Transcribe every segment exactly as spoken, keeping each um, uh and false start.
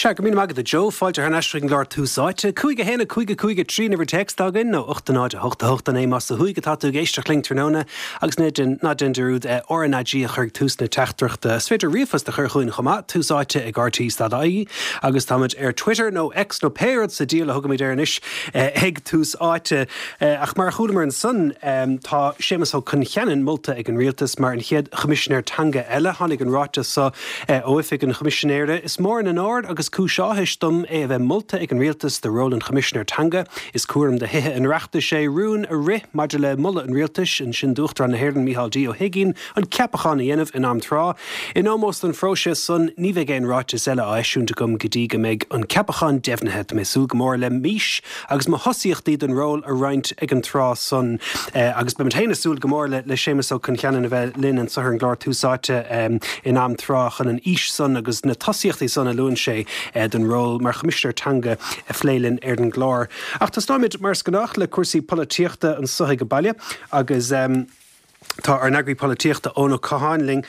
Sea, go raibh míle maith agat a Joe, fáilte thar n-ais chuig an gclár Tús Áite. Cúig a haon a cúig a cúig a trí an uimhir téacs atá againn nó ocht a náid a hocht a hocht a naoi más ó thuaidh atá tú ag éisteacht linn tráthnóna agus ná déan ná déan dearúd R N A G a chur ag tús na teachtaireachta. Is féidir ríomhphost a chur chugainn chomh maith, tús áite ag R T E dot I E agus táimid ar Twitter nó X nó pé rud sa diabhal a thugaimid air anois ag Tús Áite. Ach mar a chualamar ansan, tá Séamus Ó Concheanainn molta ag an rialtas mar an chéad choimisinéir teanga eile. Tháinig an ráiteas seo ó oifig an choimisinéara. "Is mór an onóir agus cúis áthais dom é a bheith molta ag an rialtas do ról an choimisinéir teanga. Is cúram do Thithe an Oireachtais é rún a rith maidir le moladh an rialtais, ansin d'Uachtarán na hÉireann Micheál D Ó hUiginn an ceapachán a dhéanamh in am tráth. In ómós don phróiseas san ní bheidh aon ráiteas eile á eisiúint agam go dtí go mbeidh an ceapachán deimhnithe. Tá mé ag súil go mór le m'fhís agus mo thosaíochtaí don ról a roinnt ag an tráth san." eh, agus beimid féin ag súil go mór le le Séamus Ó Concheanainn a bheith linn anseo ar an gclár Tús Áite um, in am tráth chun an fhís san agus na tosaíochtaí san a luann sé eh, don ról mar choimisinéir teanga a phlé linn ar an gclár. Ach tosnóimid mar is gnách le cúrsaí polaitíochta anseo ag baile agus um, tá ár n-eagraí polaitíochta Eoin Ó Catháin linn.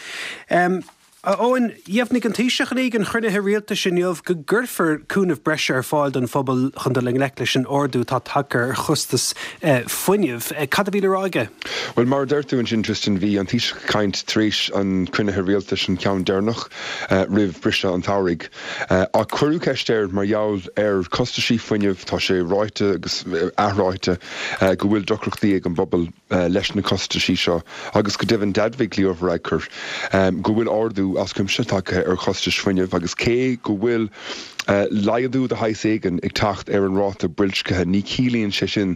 Um, A Eoin, dheimhnigh an Taoiseach ag an chruinniú rialtais inniu go gcuirfear cúnamh breise ar fáil don phobal chun dul i ngleic leis an ardú atá tagtha ar chostas eh, fuinnimh. Eh, cad a bhí le rá aige? Well, mar a deir tú ansin, Tristan, bhí an Taoiseach ag caint tar éis an chruinnithe rialtais, an ceann deireanach uh, roimh briseadh an tsamhraidh. Uh, ach cuireadh ceist air mar gheall ar chostaisí fuinnimh. Tá sé ráite agus athráite uh, go bhfuil deacrachtaí ag an bpobal uh, leis na costaisí seo agus go deimhin d'admhaigh Leo Varadkar um, go bhfuil ardú as cuimse tagtha ar chostais fuinnimh agus cé go bhfuil uh, laghdú de shaghas éigin ag teacht ar an ráta boilscithe, ní chiallaíonn sé sin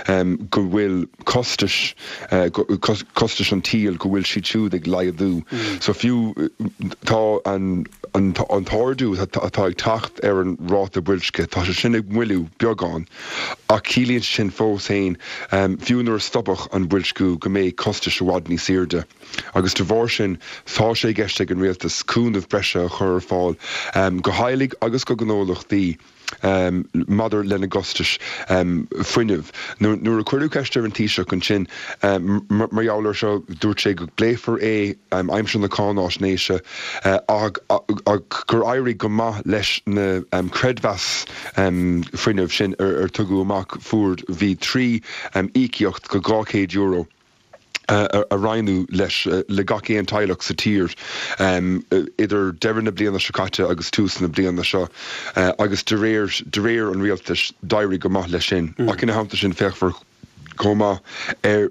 um, go bhfuil costais uh, costais an tsaoil, go bhfuil siad siúd ag laghdú. Mm. So fiú tá an an, an t-ardú atá ag teacht ar an ráta boilscithe, tá sé sin ag moilliú beagán, ach ciallaíonn sin fós féin um, fiú nuair a stopfadh an boilsciú go mbeidh costais i bhfad níos airde. Agus de bharr sin tá sé i gceist ag an rialtas cúnamh breise a chur ar fáil um, go theaghlaigh agus go gnólachtaí um, maidir lena gcostais um, fuinnimh. Nuair a cuireadh ceist ar an Taoiseach ansin um, mar gheall air seo, dúirt sé go bpléifear é um, aimsir na cáinaisnéise uh, ach gur éirigh go maith leis na um, creidmheas um, fuinnimh sin ar, ar tugadh amach. Fuair bhí trí um, íocaíocht go dhá chéad euro a roinneadh leis le gach aon teaghlach sa tír um, idir deireadh na bliana seo caite agus tús na bliana seo uh, agus de réir de réir an rialtais d'éirigh go maith leis sin mm. Ach ina theannta sin féachfar chomh maith ar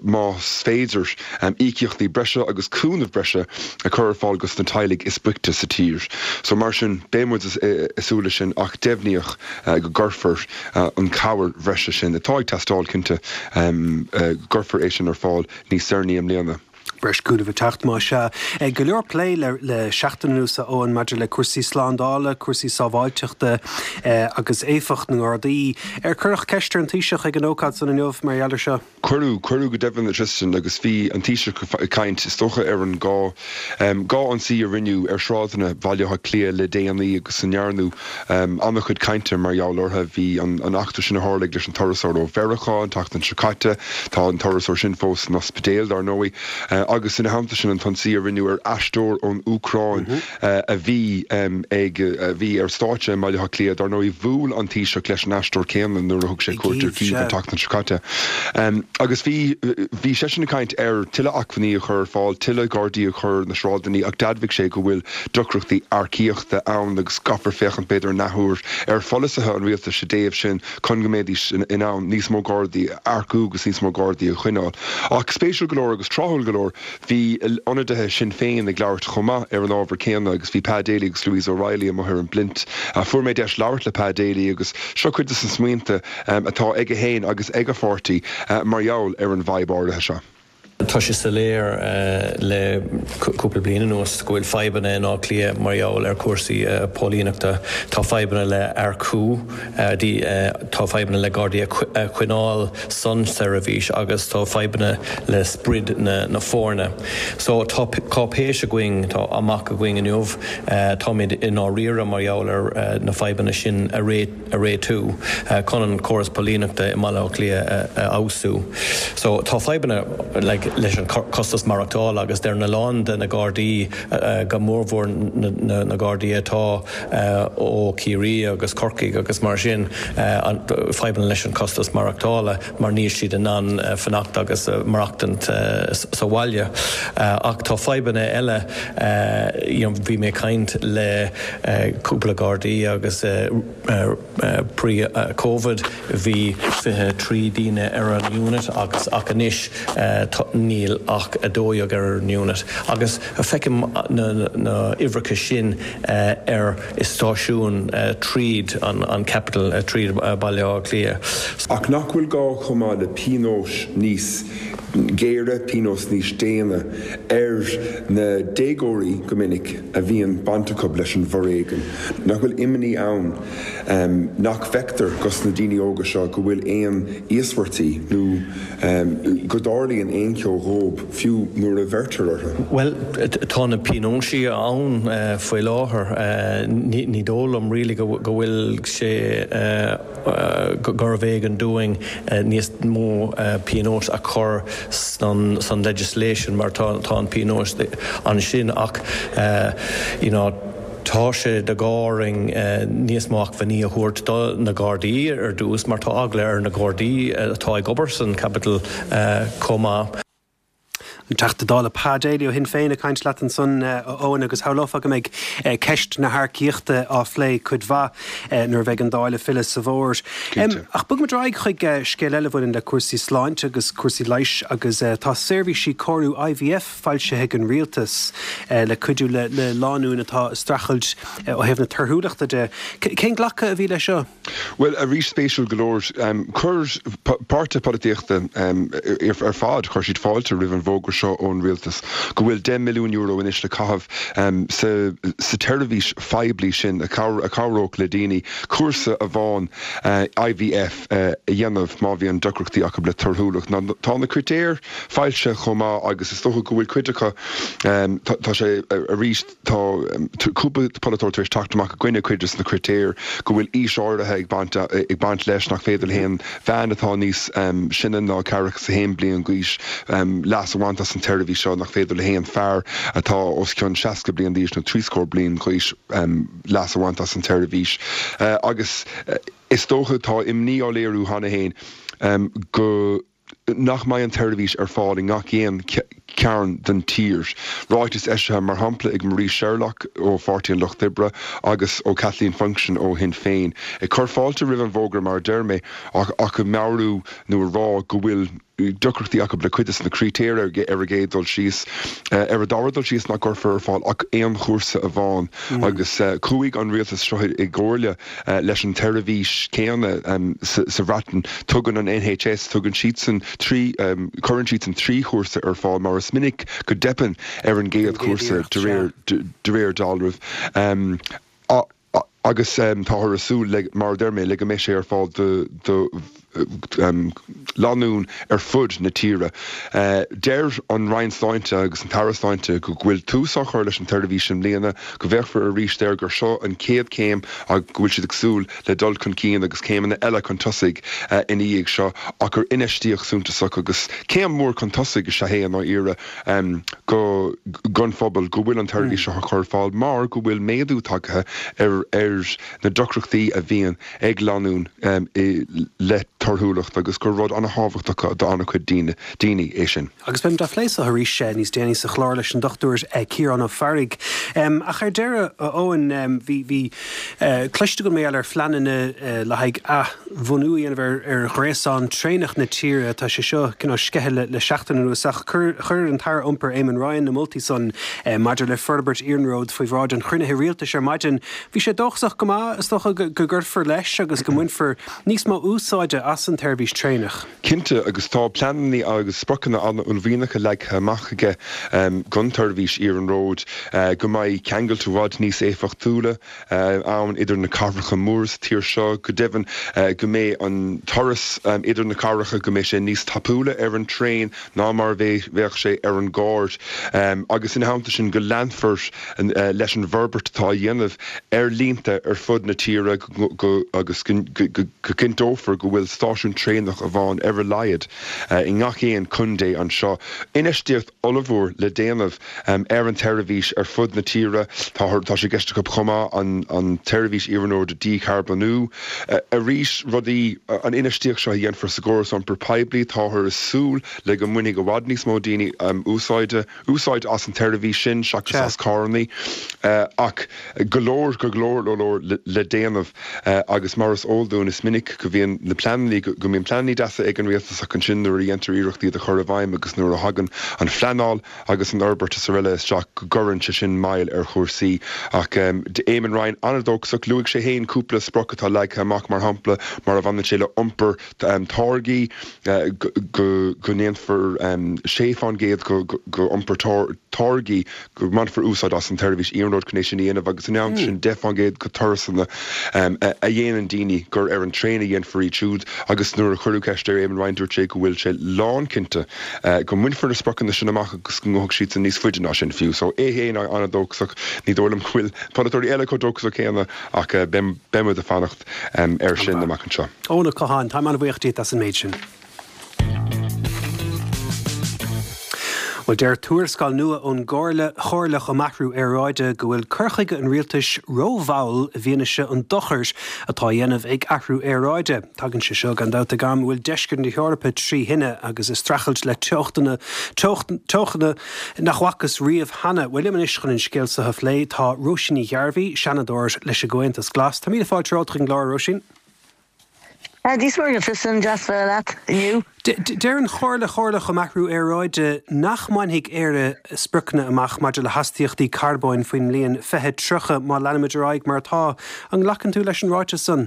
más féidir um, íocaíochtaí breise agus cúnamh breise a chur ar fáil dos na teaghlaigh is boichte sa tír. So mar sin beidh muid ag súil sin ach deimhníodh uh, go gcuirfear uh, an chabhair bhreise sin atá ag teastáil cinnte um, uh, gcuirfear é sin ar fáil níos deireanaí i mbliana. Breis cúnamh ag teacht más ea. Go leor plé le, le seachtain anuas Eoin maidir le cúrsaí slándála, cúrsaí sábháilteachta eh, agus éifeacht na nGardaí. Ar cuireadh ceist ar an Taoiseach ag an ócáid san inniu mar gheall air seo? Cuireadh cuireadh go deimhin, Tristan, agus bhí an Taoiseach ag caint is dócha ar an gá um, dhá ionsaí a rinneadh ar shráideanna Bhaile Átha Cliath le déanaí agus a ndearnadh um, an-chuid cainte mar gheall orthu. Bhí an, an eachtra sin a tharla leis an turasóir ó Mheiriceá an tseachtain seo caite. Tá an turasóir sin fós san ospidéal dar ndóigh. Uh, agus ina theannta sin an t-ionsaí a rinneadh ar aisteoir ón Úcráin mm -hmm. uh, a bhí um, ag a bhí ar stáitse i Baile Átha Cliath. Dar ndóigh bhuail an Taoiseach leis an aisteoir céanna nuair a thug sé cuairt ar Kyiv an tseachtain seo caite. Um, agus bhí bhí sé sin ag caint ar tuilleadh acmhainní a chur ar fáil, tuilleadh Gardaí a chur na sráideanna, ach d'admhaigh sé go bhfuil deacrachtaí earcaíochta ann agus caithfear féachaint b'fhéidir an athuair ar pholasaithe an rialtais sa dtaobh sin chun go mbeidís in, in ann níos mó Gardaí a earcú agus níos mó Gardaí a choinneáil. Ach spéisiúil go leor agus tráthúil go leor bhí ionadaithe Sinn Féin ag labhairt chomh maith ar an ábhar céanna agus bhí Pa Daly agus Louise O'Reilly amuigh ar an bpluint. Uh, fuair mé deis labhairt le Pa Daly agus seo cuid de na smaointe um, atá aige féin agus ag a pháirtí uh, mar gheall ar an bhfadhb áirithe seo. Tá sé soiléir uh, le cúpla bliain anuas go bhfuil fadhbanna in Áth Cliath mar gheall ar cúrsaí uh, póilíneachta. Tá fadhbanna le earcú, uh, tá fadhbanna le Gardaí a choinneáil san seirbhís agus tá fadhbanna le sprid na, na foirne. So tá cáipéis againn, tá amach againn inniu, táimid i ndáiríre mar gheall ar na fadhbanna sin a a réitiú chun an córas póilíneachta i mBaile Átha Cliath a fheabhsú. So tá fadhbanna like, leis an costas maireachtála agus deir a lán de na Gardaí go mórmhór na Gardaí atá ó Chiarraí agus Corcaigh agus mar sin fadhbanna leis an costas maireachtála mar níl siad in ann fanacht agus maireachtaint sa bhaile. Ach tá fadhbanna eile bhí mé ag caint le cúpla Gardaí agus pre-COVID bhí fiche trí daoine ar an unit agus ach anois níl ach a dó dhéag ar an unit. Agus feicim na huimhreacha sin ar stáisiún tríd an an capital tríd Baile Átha Cliath. Ach nach bhfuil gá chomh maith le pionóis níos géire, pionós níos déine ar na déagóirí go minic a bhíonn baint acu leis an bhforéigean. Nach bhfuil imní ann nach bhfeictear dos na daoine óga seo go bhfuil aon íospartaigh nó go dtarlaíonn aon cheo dhóibh fiú nuair a bheirtear orthu. Well tá na pionóis ann faoi láthair ní dóigh liom really go bhfuil sé gurbh éigean dúinn níos mó pionós a chur san san legislation mar tá tá an pionós ansin ach you know, tá sé de gáring níos mó acmhainní a thabhairt do na Gardaí ar dtús mar tá eagla ar na Gardaí atá ag obair san capital chomh maith. An Teachta Dála Pa Daly ó Shinn Féin ag caint leat ansan Eoin agus shamhlófá go mbeidh ceist na hearcaíochta á phlé cuid mhaith nuair a bheidh an Dáil ag filleadh sa bhfómhar. Ach bogfaimid ar aghaidh chuig scéal eile a bhaineann le cúrsaí sláinte agus cúrsaí leighis agus tá seirbhísí cóiriú IVF foilsithe ag an rialtas le cuidiú le le lánúin atá ag streachailt ó thaobh na torthúlachta de. Cén glacadh a bhí leis seo? Well arís spéisiúil go leor chuir páirtithe polaitíochta ar fad chuir siad fáilte roimh an bhfógra seo ón rialtas go bhfuil deich milliún euro anois le caitheamh sa sa tseirbhís phoiblí sin a chabhródh le daoine cúrsa amháin IVF a dhéanamh má bhíonn deacrachtaí acu le torthúlacht. Tá na critéir foilsithe chomh maith agus is dócha go bhfuil cuid acu tá sé arís tá cúpla polaiteoir tar éis teacht amach i gcoinne cuid de na critéir go bhfuil aois áirithe ag baint ag baint leis nach féidir le haon bhean atá níos sine ná ceathracha haon bliain d'aois leas a bhaint as an tseirbhís seo nach féidir le haon fear atá os cionn seasca bliain d'aois nó trí scór bliain d'aois leas a bhaint as an tseirbhís agus is dócha tá imní á léiriú cheana féin go nach mbeidh an tseirbhís ar fáil i ngach aon cearn den tír. Ráiteas eisithe mar shampla ag Marie Sherlock ó Pháirtí an Lucht Oibre agus ó Kathleen Funchion ó Shinn Féin. Ag cur fáilte roimh an bhfógra mar a deir mé ach ach ag meabhrú nó a rá go bhfuil deacrachtaí acu le cuid de na critéir ar ar an gcéad dul síos. Ar an dara dul síos nach gcuirfear ar fáil ach aon chúrsa amháin agus chuaigh an rialtas seo i gcomhairle leis an tseirbhís céanna sa Bhreatain. Tugann an NHS, tugann siadsan trí, cuireann siadsan trí chúrsa ar fáil mar is minic go dteipeann ar an gcéad chúrsa de réir de réir dealraimh. Agus táthar ag súil le, mar a deir mé, le go mbeidh sé ar fáil do do lánúin ar fud na tíre. Deir an Roinn Sláinte agus an tAire Sláinte go bhfuil tús á chur leis an tseirbhís i mbliana, go bhféachfar arís air, gur seo an chéad chéim agus go bhfuil siad ag súil le dul chun cinn agus céimeanna eile chun tosaigh ina dhiaidh seo ach gur infheistíocht suntasach agus céim mhór chun tosaigh is ea é i ndáiríre go don phobal go bhfuil an tseirbhís seo á chur ar fáil mar go bhfuil méadú tagtha ar ar na deacrachtaí a bhíonn ag lánúin le torthúlacht agus gur rud an-thábhachtach do an-chuid daoine é sin. Agus beimid á phlé seo arís níos déanaí sa chlár leis an Dochtúir Ciarán Ó Fearraigh. Ach ar deireadh, a Eoin, bhí bhí cloiste agam mar gheall ar phleananna le haghaidh athbhunú a dhéanamh ar ar ghréasán traenach na tíre. Tá sé seo cineál sceithe le le seachtain anuas ach chuir chuir an tAire Iompair Eamon Ryan na moltaí san maidir le forbairt iarnróid faoi bhráid an chruinnithe rialtais ar maidin. Bhí sé dóchasach go maith, is dócha, go gcuirfear leis agus go mbainfear níos mó úsáide as an tseirbhís traenach. Cinnte, agus tá pleananna agus spriocanna an-uaillmhianacha leagtha amach aige don tseirbhís iarnróid, go mbeidh ceangailt i bhfad níos éifeachtúla ann idir na cathracha móra sa tír seo, go deimhin go mbeidh an turas idir na cathracha, go mbeidh sé níos tapúla ar an traein ná mar a bheadh sé ar an gcarr agus ina theannta sin go leanfar leis an bhforbairt atá á dhéanamh ar línte ar fud na tíre agus go cinnteofar go bhfuil stáisiún traenach amháin ar a laghad i ngach aon contae anseo. Infheistíocht ollmhór le déanamh ar an tseirbhís ar fud na tíre tá tá sé i gceist acu chomh maith an an tseirbhís iarnróid a dhícharbónú. Arís rudaí an infheistíocht seo a dhéanfar sa gcóras iompar poiblí táthar ag súil le go mbainfidh i bhfad níos mó daoine úsáide úsáid as an tseirbhís sin seachas as carranna ach go leor go leor leor le déanamh agus mar is eol dúinn is minic go bhíonn na pleananna go mbíonn pleananna deasa ag an rialtas ach ansin nuair a dhéantar iarracht iad a chur i bhfeidhm agus nuair a thagann an phleanáil agus an fhorbairt is araile isteach go gcuireann sé sin moill ar chúrsaí ach um, Eamon Ryan an-dóchasach luaigh sé féin cúpla sprioc atá leagtha amach mar shampla mar a bhaineann sé le iompar um, táirgí uh, go go ndéanfar um, sé faoin gcéad go go iompar táirgí go mbainfear úsáid as an tseirbhís iarnróid chun é sin a dhéanamh agus an am sin deich faoin gcéad de thurasanna um, a dhéanann daoine gur ar an traein a dhéanfar iad siúd agus nuair a cuireadh ceist ar Eamon Ryan dúirt sé go bhfuil sé lánchinnte uh, go mbainfear na spriocanna sin amach agus go ngabhfaidh siad níos faide ná sin fiú, so é féin an-dóchasach ní dóigh liom go bhfuil polaiteoirí eile chomh dóchasach céanna ach uh, beimid ag fanacht um, ar sin amach anseo. Eoin Ó Catháin tá an-bhuíoch díot as an méid sin. Well deir tuarascáil nua ón gComhairle Chomhairleach um Athrú Aeráide go bhfuil cur chuige an rialtais rómhall i bhfianaise an dochair atá á dhéanamh ag athrú aeráide. Tagann sé seo gan dabht ag am a bhfuil deisceart na hEorpa trí thine agus ag streachailt le teochtanna teochtanna nach bhfacthas riamh cheana. Well liom anois chun an scéal seo a phlé tá Róisín Ní Ghairbhí, Seanadóir leis an gComhaontas Glas. Tá míle fáilte romhat chuig an gclár Róisín. Dia is Muire Tristan deas bheith leat inniu. Deir an Chomhairle Chomhairleach um Athrú Aeráide nach mbainfidh Éire spriocanna amach maidir le hastaíochtaí carbóin faoin mbliain fiche tríocha má leanaimid ar aghaidh mar atá an nglacann tú leis an ráiteas san.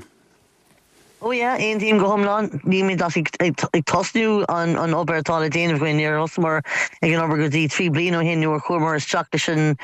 Ó yeah, aontaím go hiomlán nílimid ach ag tosnú an an obair atá le déanamh againn níor thosaíomar ag an obair go dtí trí bliana ó shin nuair a chuamar isteach leis an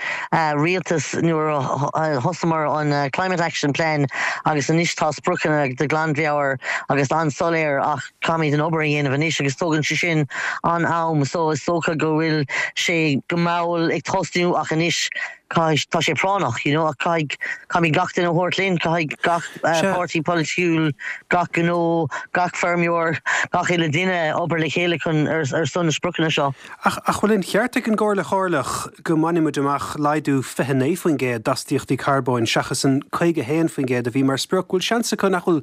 rialtas nuair a thosaíomar an Climate Action Plan agus anois tá spriocanna de ghlanmheabhair agus an-soiléir ach caithfimid an obair a dhéanamh anois agus tógann sé sin an am so is dócha go bhfuil sé go mall ag tosnú ach anois tá sé práinneach you know caithfidh caithfimid gach duine a thabhairt linn caithfidh gach páirtí polaitiúil gach gnó gach feirmeoir gach uile duine obair le chéile chun ar ar son na spriocanna seo. Ach ach bhfuil an ceart ag an gComhairle Chomhairleach go mbainfimid amach laghdú fiche naoi faoin gcéad d'astaíochtaí carbóin seachas an caoga haon faoin gcéad a bhí mar sprioc, bhfuil seans acu nach bhfuil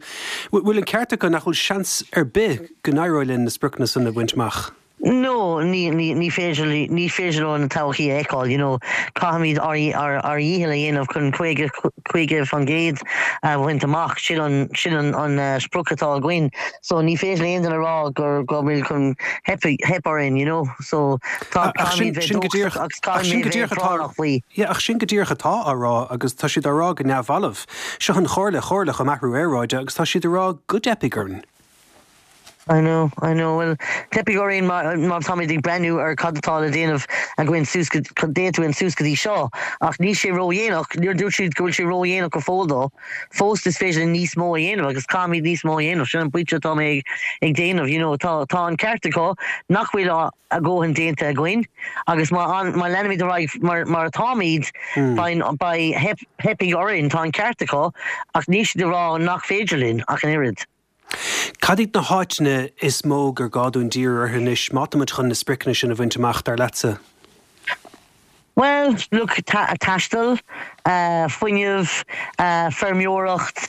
bhfuil an ceart acu nach bhfuil seans ar bith go n-éireoidh linn na spriocanna san a bhaint amach? No, ní ní ní féidir ní féidir leo an todhchaí a fheiceáil, you know, caithfimid ár ár ár ndícheall a dhéanamh chun caoga caoga faoin gcéad a bhaint amach sin an sin an an uh, sprioc atá againn. So ní féidir le aon duine rá gur go bhfuil chun theip orainn, you know, so tá Ach sin sin go díreach ach sin go díreach atá faoi. Yeah, ach sin go díreach atá á rá agus tá siad á rá go neamhbhalbh. Seo an Chomhairle Chomhairleach um Athrú Aeráide agus tá siad á rá go dteipfidh orainn. I know, I know. Well, teipfidh orainn má táimid ag breathnú ar cad atá le déanamh againn suas déanta againn suas go dtí seo, ach níl sé ródhéanach, níor dúirt siad go bhfuil sé ródhéanach go fóill dó. Fós is féidir níos mó a dhéanamh agus caithfimid níos mó a dhéanamh sin an pointe atá mé ag déanamh, you know, tá tá an ceart acu nach bhfuil a ndóthain déanta againn agus má má leanaimid ar aghaidh mar mar atáimid beidh beidh teipfidh orainn tá an ceart acu ach níl siad ag rá nach féidir linn ach an oiread. Cad iad na háiteanna is mó gur gá dúinn díriú orthu anois má táimid chun na spriocanna sin a bhaint amach dar leatsa? Well, look, ta taisteal, uh, fuinneamh, uh, feirmeoireacht,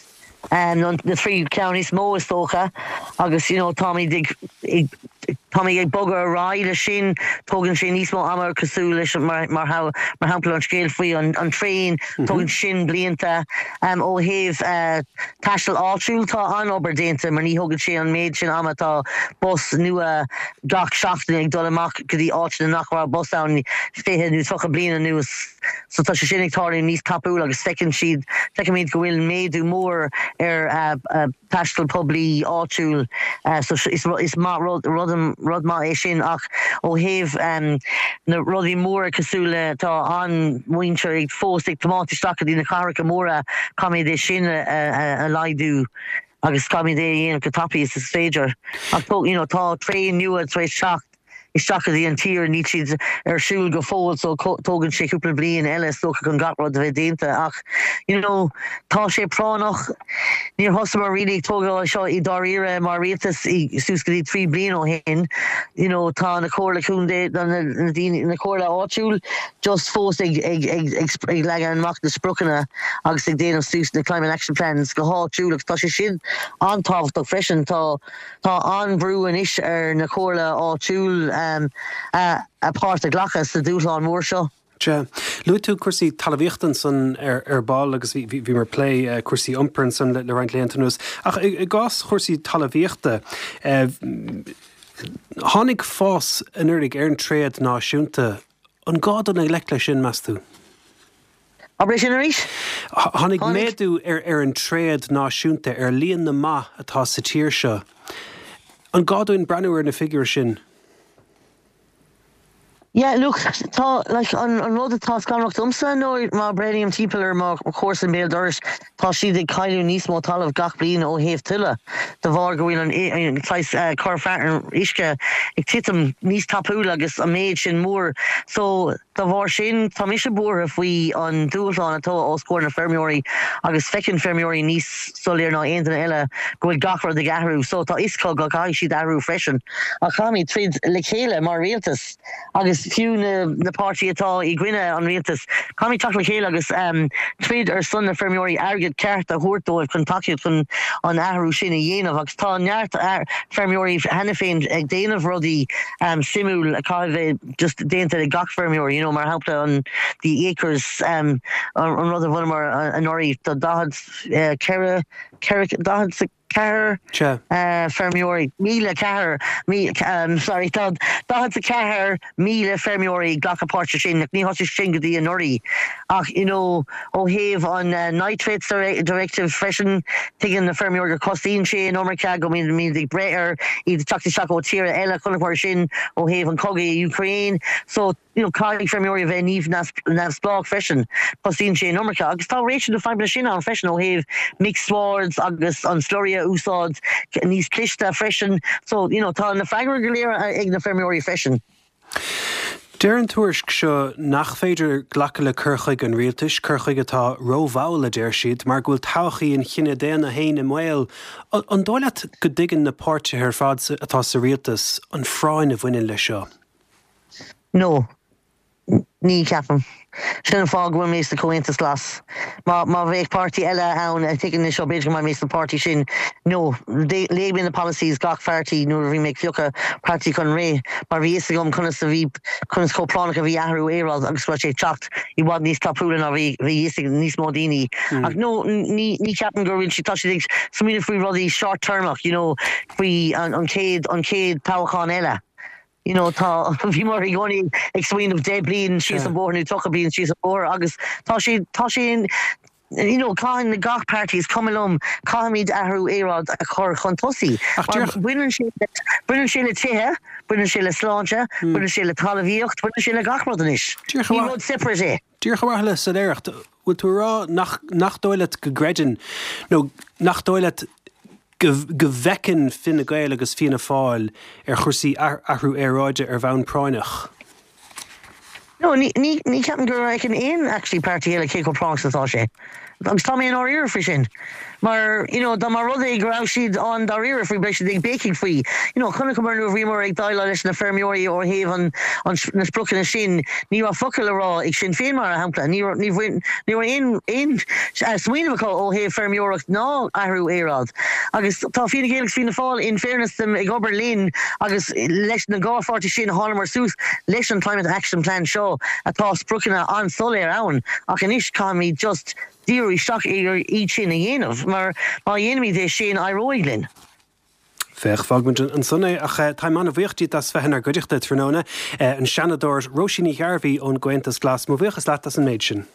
um, na trí ceann is mó is dócha agus you know, táimid ag ag táimid ag bogadh ar aghaidh leis sin tógann sé níos mó ama cosúil leis mar mar mar shampla an scéal faoi an, an traein mm -hmm. tógann sin blianta um, ó thaobh uh, taisteal áitiúil tá an-obair déanta mar ní thógann sé an méid sin ama tá bus nua gach seachtain ag dul amach go dtí áiteanna nach raibh bus ann fiche nó tríocha bliain anuas so tá sé sin ag tarlú níos tapúla agus feiceann siad feicimid go bhfuil méadú mór ar uh, uh, taisteal poiblí áitiúil uh, so is, is maith rud, rud, rud maith é sin ach ó thaobh um, na rudaí móra cosúil le tá an mhuintir ag fós ag tiomáint isteach go dtí na cathracha móra caithfimid é sin a, a, a laghdú agus caithfimid é dhéanamh go tapaidh is is féidir. Ach you know, tá traein nua tar éis teacht isteach go dtí an tír níl siad ar siúl go fóill so tógann sé cúpla bliain eile is dócha chun gach rud a bheith déanta ach you know tá sé práinneach níor thosaíomar really ag tógáil seo i dáiríre mar rialtas suas go dtí trí bliain ó shin you know tá na comhairle contae na daoine na comhairle áitiúil just fós ag ag ag ag ag leagan amach na spriocanna agus ag déanamh suas na climate action plans go háitiúil agus tá sé sin an-tábhachtach freisin tá tá an-bhrú anois ar na comhairle áitiúil um, a, a páirt a ghlacadh sa dúshlán mór seo. Sea. Luaigh tú cúrsaí talmhaíochta ansan ar ar ball agus bhí bhí mar plé uh, cúrsaí iompair ansan le, le roinnt laethanta anuas. Ach i, i gcás chúrsaí talmhaíochta uh, tháinig fás anuraidh ar an tréad náisiúnta. An gá dul i ngleic leis sin meas tú? Abair sin arís? Tháinig méadú ar ar an tréad náisiúnta ar líon na mba atá sa tír seo. An gá dúinn breathnú ar na figiúir sin? Yeah, look, tá like, an, an rud atá scanrach domsa nó má breathnaím timpeall ar mo chomharsan béal dorais tá siad ag cailleadh níos mó talamh gach bliain ó thaobh tuile de bharr go bhfuil an an uh, cur uisce ag titim níos tapúla agus an méid sin mór. So dá bharr sin tá mise buartha faoi an dúshlán atá os comhair na feirmeoirí agus feiceann feirmeoirí níos soiléire ná aon duine eile go bhfuil gach rud ag athrú, so tá is go caithfidh siad athrú freisin. A chaithfimid troid le chéile mar rialtas agus fiú na, na páirtithe atá i gcoinne an rialtas. Caithfimid teacht le chéile agus um, troid ar son na feirmeoirí airgead ceart a thabhairt dóibh chun tacaíocht chun an athrú sin a dhéanamh agus tá neart feirmeoirí cheana féin ag déanamh rudaí um, suimiúil a caithfidh just déanta ag gach feirmeoir, you know, mar shampla an the acres um, an, an rud a bhunamar anuraidh do daichead uh, ceithre daichead ceathair uh, feirmeoirí míle ceathair um, sorry daichead ceathair míle feirmeoirí glacadh páirt sin ní thosaigh sin go dtí anuraidh ach you know ó thaobh an uh, nitrates directive freisin tuigeann na feirmeoirí go cosnaíonn sé an iomarca go mbíonn mín ag brath ar iad teacht isteach ó tíortha eile chun mar sin ó thaobh an cogaidh Ukraine so you know caithfidh feirmeoirí bheith níos neamhspleách freisin cosnaíonn sé an iomarca agus tá réimse na fadhbanna sin ann freisin ó thaobh mixed swards agus an slurry a úsáid níos cliste freisin so you know tá na freagraí go léir ag na feirmeoirí freisin. Deir an tuairisc seo nach féidir glacadh le cur chuige an rialtais, cur chuige atá rómhall a deir siad, mar go bhfuil todhchaí an chine daonna féin i mbaol. An dóigh leat go dtuigeann na páirtithe ar fad atá sa rialtas an phráinn a bhaineann leis seo. No, ní ceapaim. Sin an fáth go bhfuil mé sa Comhaontas Glas. Má má bheadh páirtí eile ann a tuigeann seo b'fhéidir go mbeidh mé sa páirtí sin no léigh mé na policies gach pháirtí nuair a bhí mé ag piocadh páirtí chun rith mar bhí fhios agam conas a bhí conas chomh práinneach a bhí athrú aeráide agus go raibh sé teacht i bhfad níos tapúla ná bhí bhí fhios ag níos mó daoine. Mm. Ach no ní ní ceapaim gur bhfuil si tá siad ag smaoineamh faoi rudaí short-termach, you know, faoi an, an chéad an chéad toghchán eile. You know tá bhí mar i gcónaí ag smaoineamh deich bliain síos an bóthar nó tríocha bliain síos an bóthar agus tá sé tá sé you know caithfidh gach páirtí is cuma liom caithfimid athrú aeráide a chur chun tosaigh. Baineann sé baineann sé le tithe, baineann sé le sláinte, hmm. baineann sé le talmhaíocht, baineann sé le gach rud anois. Ní rud separate é. Díreach ar mhaithe le soiléireacht, bhfuil tú rá nach nach dóigh leat go gcreideann nó nach dóigh leat go bhfeiceann Fine Gael agus Fianna Fáil ar chúrsaí athrú aeráide ar bhonn práinneach. No, ní ní ní ceapaim go bhfeiceann aon actually páirtí eile cé chomh práinneach atá sé. Agus tá mé i ndáiríre faoi sin. Mar you know, dá mba rud é go raibh siad an dáiríre faoi beidh siad ag béicíl faoi. You know, chonaiceamar nuair a bhíomar ag déileáil leis na feirmeoirí ó thaobh an, an na spriocanna sin, ní raibh focal le rá ag Sinn Féin mar shampla, ní ní ní aon aon uh, smaoineamh acu ó thaobh feirmeoireacht ná athrú aeráide. Agus tá Fine Gael agus Fianna Fáil in fairness dom ag obair linn agus leis na dhá pháirtí sin thángamar suas leis an Climate Action Plan seo atá spriocanna an-soiléir ann ach anois caithfimid just díriú isteach ar iad sin a dhéanamh mar má dhéanaimid é sin éireoidh linn. Féach fágfaimid ansan é ach táim an-bhuíoch díot as bheith inár gcuideachta tráthnóna an Seanadóir Róisín Ní Ghairbhí ón gComhaontas Glas mo bhuíochas leat as an méid sin.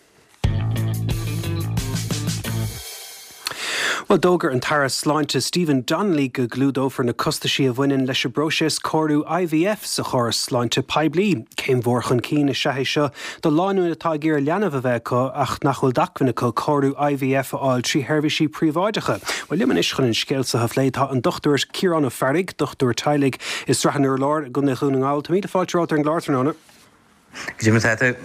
Bhuel, d'fhógair an tAire Sláinte Stephen Donnelly go gclúdófar na costaisí a bhaineann leis an bpróiseas cóiriú I V F sa chóras sláinte poiblí. Céim mhór chun cinn is ea é seo do lánúin atá ag iarraidh leanbh a bheith acu ach nach bhfuil d'acmhainn acu cóiriú I V F a fháil trí sheirbhísí príobháideacha. Well, liom anois chun an scéal seo a phlé tá an Dochtúir Ciarán Ó Fearraigh, dochtúir teaghlaigh i Srath an Urláir i gContae Dhún na nGall. Tá míle fáilte romhat ar an gclár tráthnóna. Goidé mar atá tú?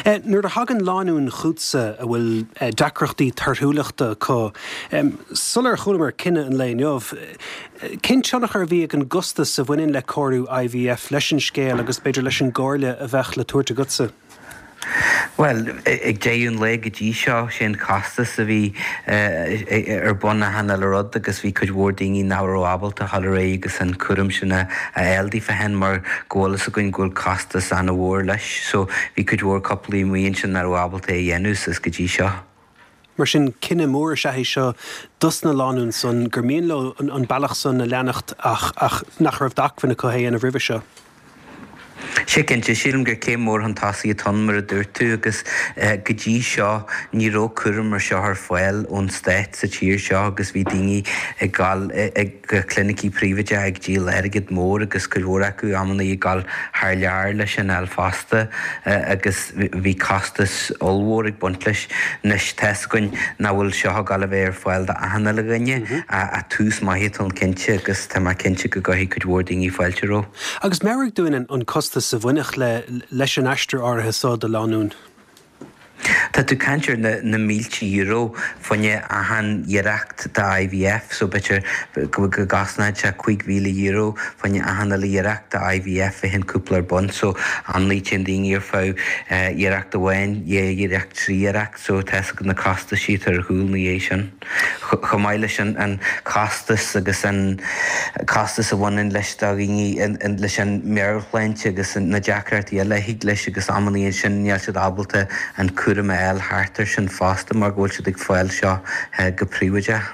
Eh, nuair a thagann lánúin chugatsa a bhfuil eh, deacrachtaí torthúlachta acu, sular chualamar cinneadh an lae inniu, eh, cén tionchar a bhí ag an gcostas a bhaineann le cóiriú I V F leis an scéal agus b'fhéidir leis an gcomhairle a bheadh le tabhairt agatsa? Well, ag deireadh an lae go dtí seo sé an costas a bhí ar bun achan uile rud agus bhí cuid mhór daoine nach raibh ábalta a dhul ar aghaidh agus an cúram sin a fháil daofa féin mar go bhfuil fhios againn go bhfuil costas an-mhór leis, so bhí cuid mhór cúplaí amuigh ansin nach raibh ábalta é a dhéanamh is go dtí seo. Mar sin cinneadh mór is ea é seo dos na lánúin san gur mian leo an, an bealach san a leanacht ach ach nach raibh d'acmhainn acu é a dhéanamh roimhe seo. Sé cinnte, sílim gur céim mhór chun tosaigh atá ann mar a dúirt tú agus go dtí seo ní raibh cúram mar seo ar fáil ón stát sa tír seo agus bhí daoine ag dul ag clinicí príobháideacha ag díol airgead mór agus cuid mhór acu amannaí ag dul thar lear leis an fháil fosta agus bhí costas ollmhór ag baint leis. Anois tá fhios againn nach bhfuil seo ag dul a bheith ar fáil d'achan uile dhuine ach tús maith atá ann cinnte agus tá mé cinnte go gcuirfidh cuid mhór daoine fáilte roimhe. Agus meabhraigh dúinn an costas a bhainfeadh le leis an aistear áirithe seo do lánúin. Tá tú ag caint ar na, na mílte euro fá choinne achan iarracht de I V F, so b'fhéidir go go gcosnódh sé cúig mhíle euro fá choinne achan uile iarracht de I V F a bhíonn cúpla ar bun, so amannaí téann daoine ar feadh iarracht amháin, dhá iarracht, trí iarracht, so tá na costaisí ar chúl na dhiaidh sin. Chomh maith leis an, an costas agus an costas a bhaineann leis do dhaoine leis an meabhairshláinte agus na deacrachtaí eile a thig leis agus amannaí sin níl siad ábalta an cúram a fháil thart ar sin fosta mar go bhfuil siad ag fáil seo go príobháideach.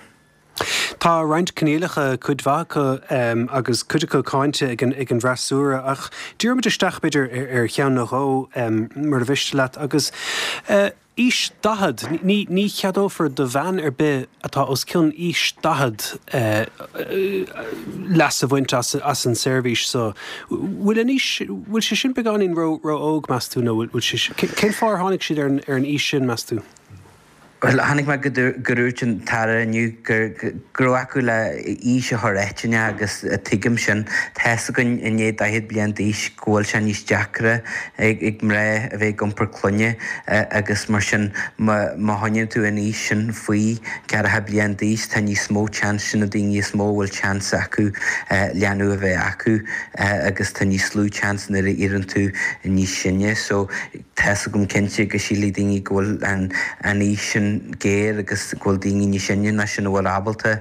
Tá roinnt coinníollacha, cuid mhaith acu um, agus cuid acu cáinte ag an, ag an bhfreasúra ach díreoimid isteach b'fhéidir ar, ar cheann nó dhó um, mar a mhiste leat agus uh, aois daichead ní, ní cheadófar do bhean ar bith atá os cionn aois daichead uh, uh, leas a bhaint as, as an seirbhís so bhfuil an aois bhfuil sé sin beagáinín ró ró óg meas tú nó bhfuil sé cén fáth ar tháinig siad ar an, ar an aois sin meas tú? Well, tháinig mé go dúirt an tAire inniu gur go raibh acu le aois a chur eitinne agus tuigim sin tá fhios againn i ndiaidh daichead bliain d'aois go bhfuil sé níos deacra ag ag mná a bheith ag iompar clainne agus mar sin má má choinníonn tú an aois sin faoi ceathracha bliain d'aois tá níos mó chance sin na daoine is mó bhfuil chance acu leanbh a bheith acu agus tá níos lú chance nuair a éiríonn tú níos sine so tá fhios agam cinnte go sílfidh daoine go bhfuil an an aois sin géar agus go bhfuil daoine níos sine ná sin a bhfuil ábalta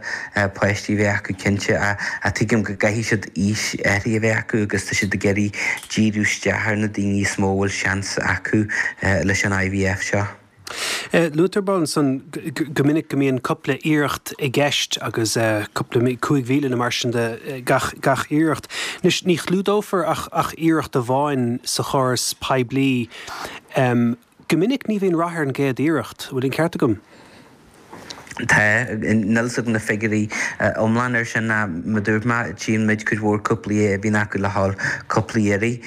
páistí bheith acu cinnte a a tuigim go gcaithfidh siad aois áirithe a bheith acu agus tá siad ag iarraidh díriú isteach ar na daoine is mó bhfuil seans acu leis an I V F seo. Luaitear ansan go minic go mbíonn cúpla iarracht i gceist agus cúpla cúig mhíle nó mar sin de gach gach iarracht. Anois ní chlúdófar ach ach iarracht amháin sa chóras poiblí. Um, go minic ní bhíonn rath ar an gcéad iarracht, bhfuil an ceart agam? Tá níl fhios agam na figiúirí iomlán ar sin ná mar dúirt mé tchíonn muid cuid mhór cúplaí a bhíonn acu le haghaidh cúpla iarraidh.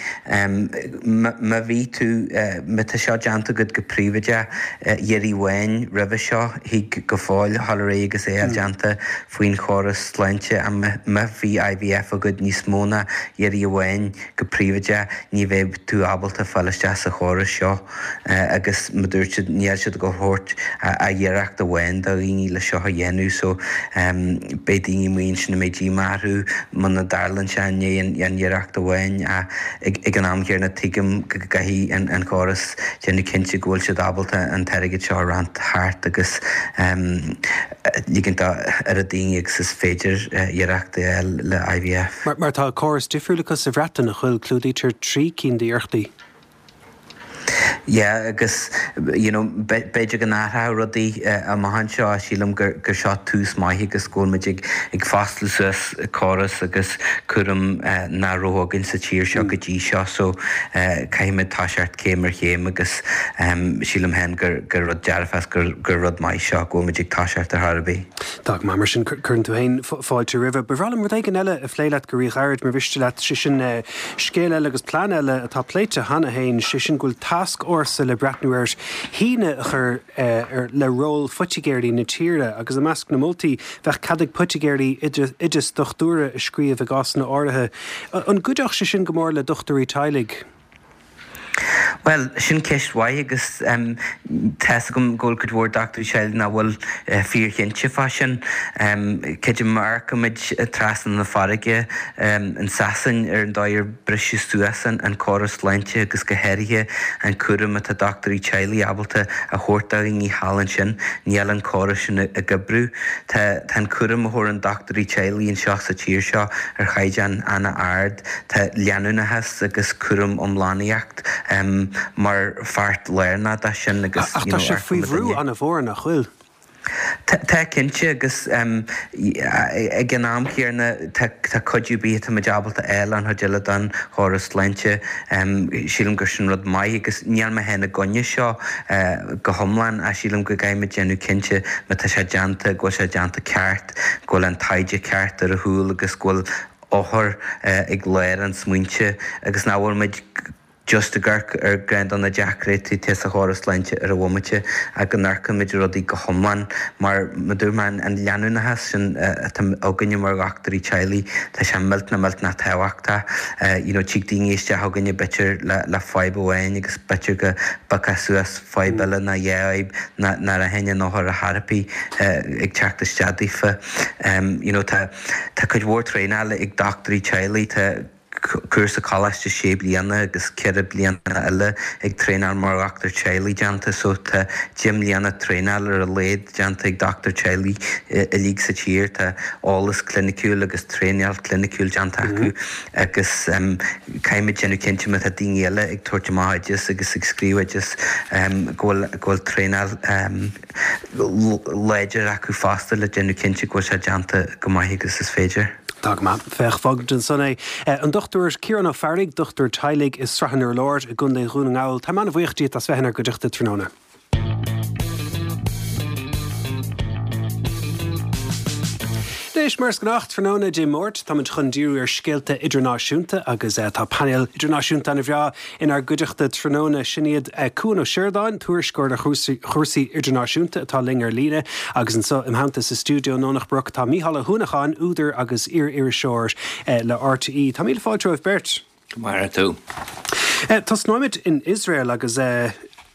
Má bhí tú má tá seo déanta agat go príobháideach iarraidh amháin roimhe seo thig go fóill dul ar aghaidh agus é déanta faoin chóras sláinte a má bhí I V F agat níos mó ná iarraidh amháin go príobháideach ní bheidh tú ábalta fáil isteach sa chóras seo agus mar dúirt siad níl siad go thabhairt a iarracht amháin do dhaoine le seo a dhéanamh so um, beidh daoine amuigh ansin a mbeidh díomá orthu muna dtarlaíonn sé i ndiaidh an iarracht amháin ag, ag an am chéanna tuigim go gcaithfidh an, an chóras déanamh cinnte go bhfuil siad ábalta an t-airgead seo a roinnt thart agus um, ligint ar a daoine agus is féidir uh, iarracht le I V F. Mar, mar tá córas difriúil acu sa Bhreatain a chuil clúdaítear trí cinn d'iarrachtaí. Yeah, agus you know, b'fhéidir go n-athróidh rudaí amach anseo sílim gur gur seo tús maith agus go bhfuil muid ag ag foscladh suas córas agus cúram nach raibh againn sa tír seo go dtí seo so caithfimid toiseacht céim ar chéim agus sílim féin gur gur rud dearfach gur gur rud maith seo go bhfuil muid ag toiseacht ar chor ar bith. Tá go maith mar sin cuireann tú féin fáilte roimhe. Ba bhreá liom rud éigin eile a phlé leat go ríghairid mar mhiste leat sé sin scéal eile agus plean eile atá pléite cheana féin sé sin go bhfuil tascfhórsa le breathnú ar shíneadh a chur ar le ról phoitigéirí na tíre agus i measc na moltaí bheadh cead ag poitigéirí oideas dochtúra a scríobh i gcásanna áirithe. An gcuideodh sé sin go mór le dochtúirí teaghlaigh? Bhuel, sin ceist mhaith agus tá's agam go bhfuil cuid mhór dochtúirí teaghlaigh nach bhfuil fíorchinnte fá sin. Creidim má amharcaimid trasna na farraige in Sasain ar an dóigh ar briseadh suas an córas sláinte agus go háirithe an cúram atá dochtúirí teaghlaigh ábalta a thabhairt do dhaoine thall ansin, níl an córas sin ag oibriú. Tá an cúram a thabharann dochtúirí teaghlaigh anseo sa tír seo ar chaighdeán an-ard. Tá leanúnachas agus cúram iomlánaíocht mar pháirt lárnach de sin agus Ach tá sé faoi bhrú an-mhór nach bhfuil? Tá cinnte agus ag an am céanna tá cuidiú ar bith atá muid ábalta a fháil ón chuid eile den chóras sláinte. Sílim gur sin rud maith agus níl mé féin i gcoinne seo go hiomlán ach sílim go gcaithfimid déanamh cinnte má tá sé déanta go bhfuil sé déanta ceart, go bhfuil an taighde ceart ar a chúl agus go bhfuil othar ag lár an smaointe agus nach bhfuil muid just ag amharc ar ceann de na deacrachtaí atá sa chóras sláinte ar an bhomaite ach go n-amharcaimid ar rudaí go hiomlán mar mar dúirt mé an leanúnachas sin atá againne mar dhochtúirí teaghlaigh tá sé millteanach millteanach tábhachtach. You know tig daoine isteach chugainne b'fhéidir le le fadhb amháin agus b'fhéidir go bpiocfá suas fadhb eile nó dhá fhadhb nach raibh an othar ar chor ar bith ag teacht isteach daofa. You know tá tá cuid mhór traenála ag dochtúirí teaghlaigh tá cúrsa coláiste sé bliana agus ceithre bliana eile ag traenáil mar dhochtúir teaghlaigh déanta so tá deich mbliana traenáil ar a laghad déanta ag dochtúir teaghlaigh uilig sa tír. Tá eolas cliniciúil agus traenáil cliniciúil déanta acu agus caithfimid déanamh cinnte má tá daoine eile ag tabhairt amach oideas agus ag scríobh oideas go bhfuil go bhfuil traenáil láidir acu fosta le déanamh cinnte go bhfuil sé déanta go maith agus is féidir. Tá go maith. Féach, fágfaimid ansan é. An Dochtúir Ciarán Ó Fearraigh, dochtúir teaghlaigh i Srath an Urláir i gContae Dhún na nGall. Táim an-bhuíoch díot as bheith inár gcuideachta tráthnóna. Anois, mar is gnách, tráthnóna Dé Máirt, táimid chun díriú ar scéalta idirnáisiúnta agus tá painéal idirnáisiúnta an-bhreá inár gcuideachta tráthnóna. Sin iad Cuan Ó Seireadáin, tuairisceoir ar chúrsaí idirnáisiúnta atá linn ar líne agus anseo im theannta sa stiúideo i nDomhnach Broc tá Mícheál Ó hUanacháin, údar agus iar-iriseoir le RTÉ. Tá míle fáilte romhaibh beirt. Go maire tú. Tosnóimid in Iosrael agus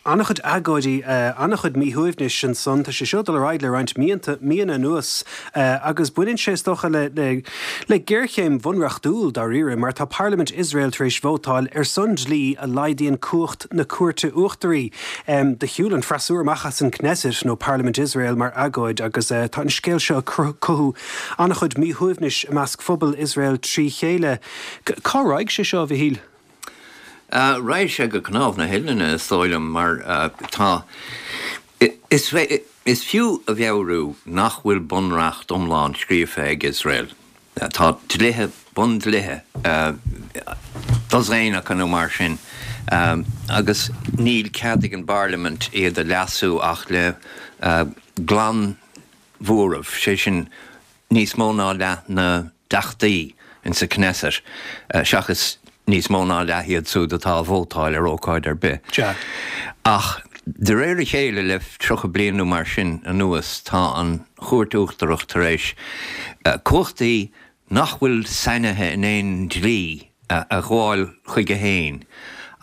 an-chuid agóidí, an-chuid míshuaimhnis ansan. Tá sé seo ag dul ar aghaidh le roinnt míonna, míonna anuas agus baineann sé is dócha le, le, le géarchéim bhunreachtúil dáiríre mar tá Parlaimint Iosrael tar éis vótáil ar son dlí a laghdaíonn cumhacht na Cúirte Uachtaraí. Do shiúil an freasúra amach as an Knesset nó Parlaimint Iosrael mar agóid agus tá an scéal seo ag cothú an-chuid míshuaimhnis i measc phobal Iosrael trí chéile. Cá raghaidh sé seo, a Mhichíl? Raghaidh sé go cnámh na huillinne, is dóigh liom, mar tá, is is fiú a mheabhrú nach bhfuil bunreacht iomlán scríofa ag Iosrael. Tá dlíthe, bundlíthe, dosaen acu nó mar sin, agus níl cead ag an bparlaimint iad a leasú ach le glanmhóramh, sé sin níos mó ná leath na dteachtaí in sa Knesset, seachas níos mó ná leath iad siúd atá a vótáil ar ócáid ar bith. Ach de réir a chéile le tríocha bliain nó mar sin anuas tá an Chúirt Uachtarach tar éis cumhachtaí nach bhfuil sainithe in aon dlí a ghabháil chuige féin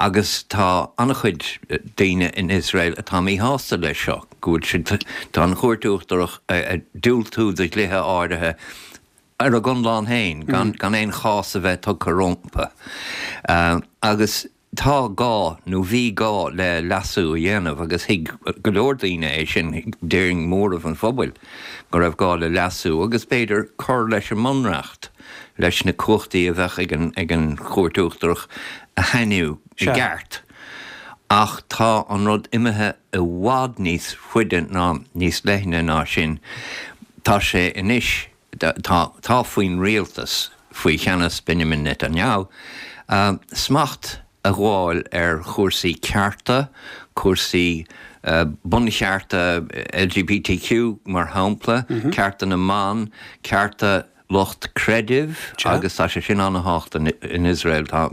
agus tá an-chuid daoine in Iosrael atá míshásta leis seo, go bhfuil siad, tá an Chúirt Uachtarach ag diúltú do dhlíthe áirithe ar a gconlán féin, gan gan aon chás a bheith tugtha rompu. Agus tá gá, nó bhí gá le leasú a dhéanamh agus thuig go leor daoine é sin, déarfainn móramh an phobail, go raibh gá le leasú agus b'fhéidir cur leis an mbunreacht, leis na cumhachtaí a bheadh ag an ag an Chúirt Uachtarach a shainiú i gceart. Ach tá an rud imithe i bhfad níos faide ná níos leithne ná sin. Tá sé anois, tá, tá faoin rialtas, faoi cheannas Benjamin Netanyahu, smacht a ghabháil ar chúrsaí cearta, cúrsaí bunchearta LGBTQ mar shampla, cearta na mban, cearta lucht creidimh agus tá sé sin an-tábhachtach in Iosrael. Tá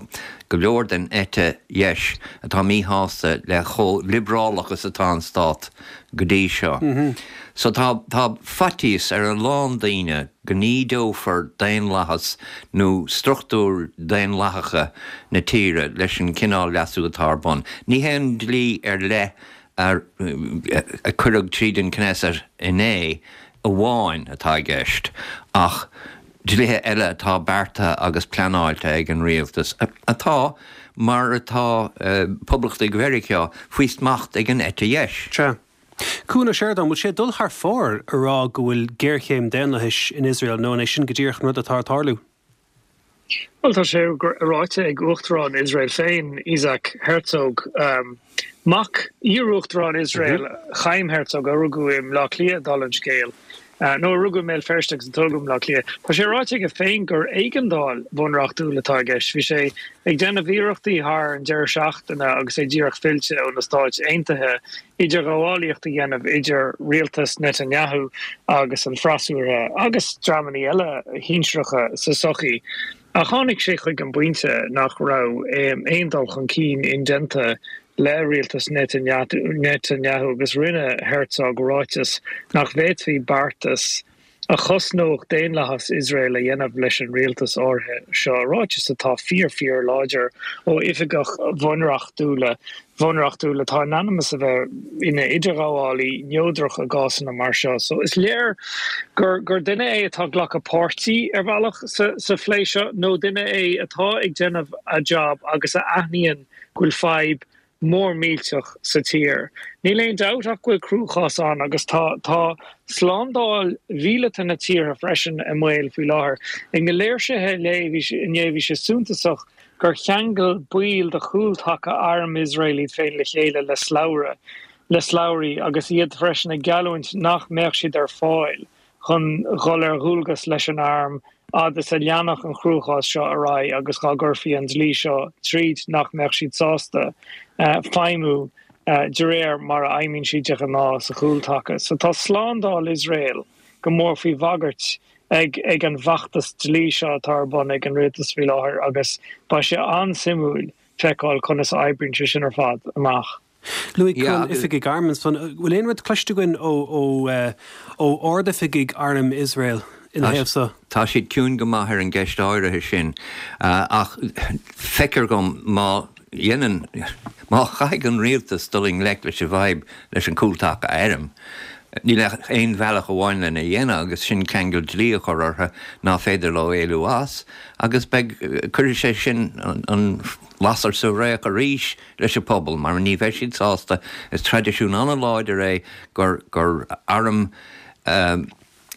go leor den eite dheis atá míshásta le chomh liobrálach is atá an stát go dtí seo. So tá tá faitíos ar a lán daoine go n-ídeofar daonlathas nó struchtúir daonlathacha na tíre leis an cineál leasú atá ar bun. Ní hé an dlí ar leith a cuireadh tríd an Knesset inné amháin atá i gceist, ach dlíthe eile atá beartaithe agus pleanáilte ag an rialtas, atá, mar atá Poblachtaigh Mheiriceá, faoi smacht ag an eite dheis. Sea. Cuan Ó Seireadáin, an bhfuil sé ag dul thar fóir a rá go bhfuil géarchéim daonlathais in Iosrael nó an é sin go díreach an rud atá ag tarlú? Bhuel, tá sé ráite ag Uachtarán Iosrael féin, Isaac Herzog, mac iar-Uachtarán Iosrael, Chaim Herzog, a rugadh i mBleá Cliath, dála an scéil, nó a rugadh i mBéal Feirste agus a tógadh i mBleá Cliath. Tá sé ráite aige féin gur éigeandáil bhunreachtúil atá i gceist. Bhí sé ag déanamh iarrachtaí thar an deireadh seachtaine agus é díreach fillte ó na Stáit Aontaithe idirghabhálaíocht a dhéanamh idir rialtas Netanyahu agus an freasúra agus dreamanna eile shinsearacha sa tsochaí. Ach tháinig sé chuig an bpointe nach raibh aon dul chun cinn indéanta le rialtas Netanyahu agus rinne Herzog ráiteas nach bhféadfaí beartas a chosnódh daonlathas Iosrael a dhéanamh leis an rialtas áirithe seo, ráiteas atá fíor fíor láidir ó oifigeach bhunreachtúla bhunreachtúil atá in ainm is a bheith ina idirghabhálaí neodrach i gcásanna mar seo. So is léir gur gur duine é atá ag glacadh páirtí ar bhealach sa sa phlé seo nó duine é atá ag déanamh a job agus a aithníonn go bhfuil fadhb mór millteach sa tír. Níl aon dabht ach go bhfuil cruachás ann agus tá tá slándáil mhíleata na tíre freisin i mbaol faoi láthair. Ag na léirsithe inné bhí sé suntasach gur cheangail baill de chúltaca arm Iosrael iad féin le chéile le slabhra le slabhraí agus iad freisin ag geallúint nach mbeadh siad ar fáil chun dhul ar dhualgas leis an arm fhad is a leanfadh an chruachás seo ar aghaidh agus dhá gcuirfí an dlí seo tríd nach mbeadh siad sásta feidhmiú de réir mar a fheidhmíonn siad de ghnáth sa chúltaca. So tá slándáil Iosrael go mór faoi bhagairt ag ag an bhfeachtas dlí seo atá ar bun ag an rialtas faoi láthair agus beidh sé an-suimiúil feiceáil conas a oibríonn sé sin ar fad amach. Luaigh Cuan oifigigh airm ansan. An bhfuil aon rud cloiste againn ó ó ardoifigigh arm Iosrael ina thaobh so? Tá siad ciúin go maith ar an gceist áirithe sin ach feictear dhom má dhéanann, má chaithfidh an rialtas dul i ngleic leis an bhfadhb leis an gcúltaca airm, níl ach aon bhealach amháin lena dhéanamh agus sin ceangal dlí a chur orthu ná féidir leo éalú as agus beidh, cuirfidh sé sin an lasair sa fhraoch arís leis an pobal mar ní bheidh siad sásta, is traidisiún an-láidir é gur gur arm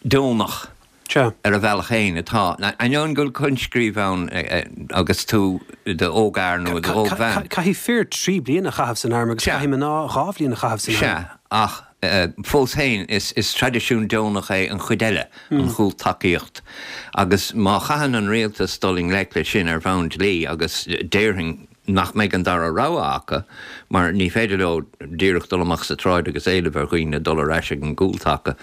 deonach Sea. ar a bhealach féin atá, ainneoin go bhfuil coinscríobh ann agus tú i d'ógfhear nó i d'ógbhean. Caithfidh fir trí bliana a chaitheamh san arm agus Sea. caithfidh mná dhá bhliain a chaitheamh san arm. Sea, ach fós féin is is traidisiún deonach é an chuid eile, an chúltacaíocht. Agus má chaitheann an rialtas dul i ngleic leis sin ar bhonn dlí agus déarfainn nach mbeidh an dara rogha acu mar ní féidir leo díreach dul amach sa tsráid agus éileamh ar dhaoine dul ar ais ag an gcúltaca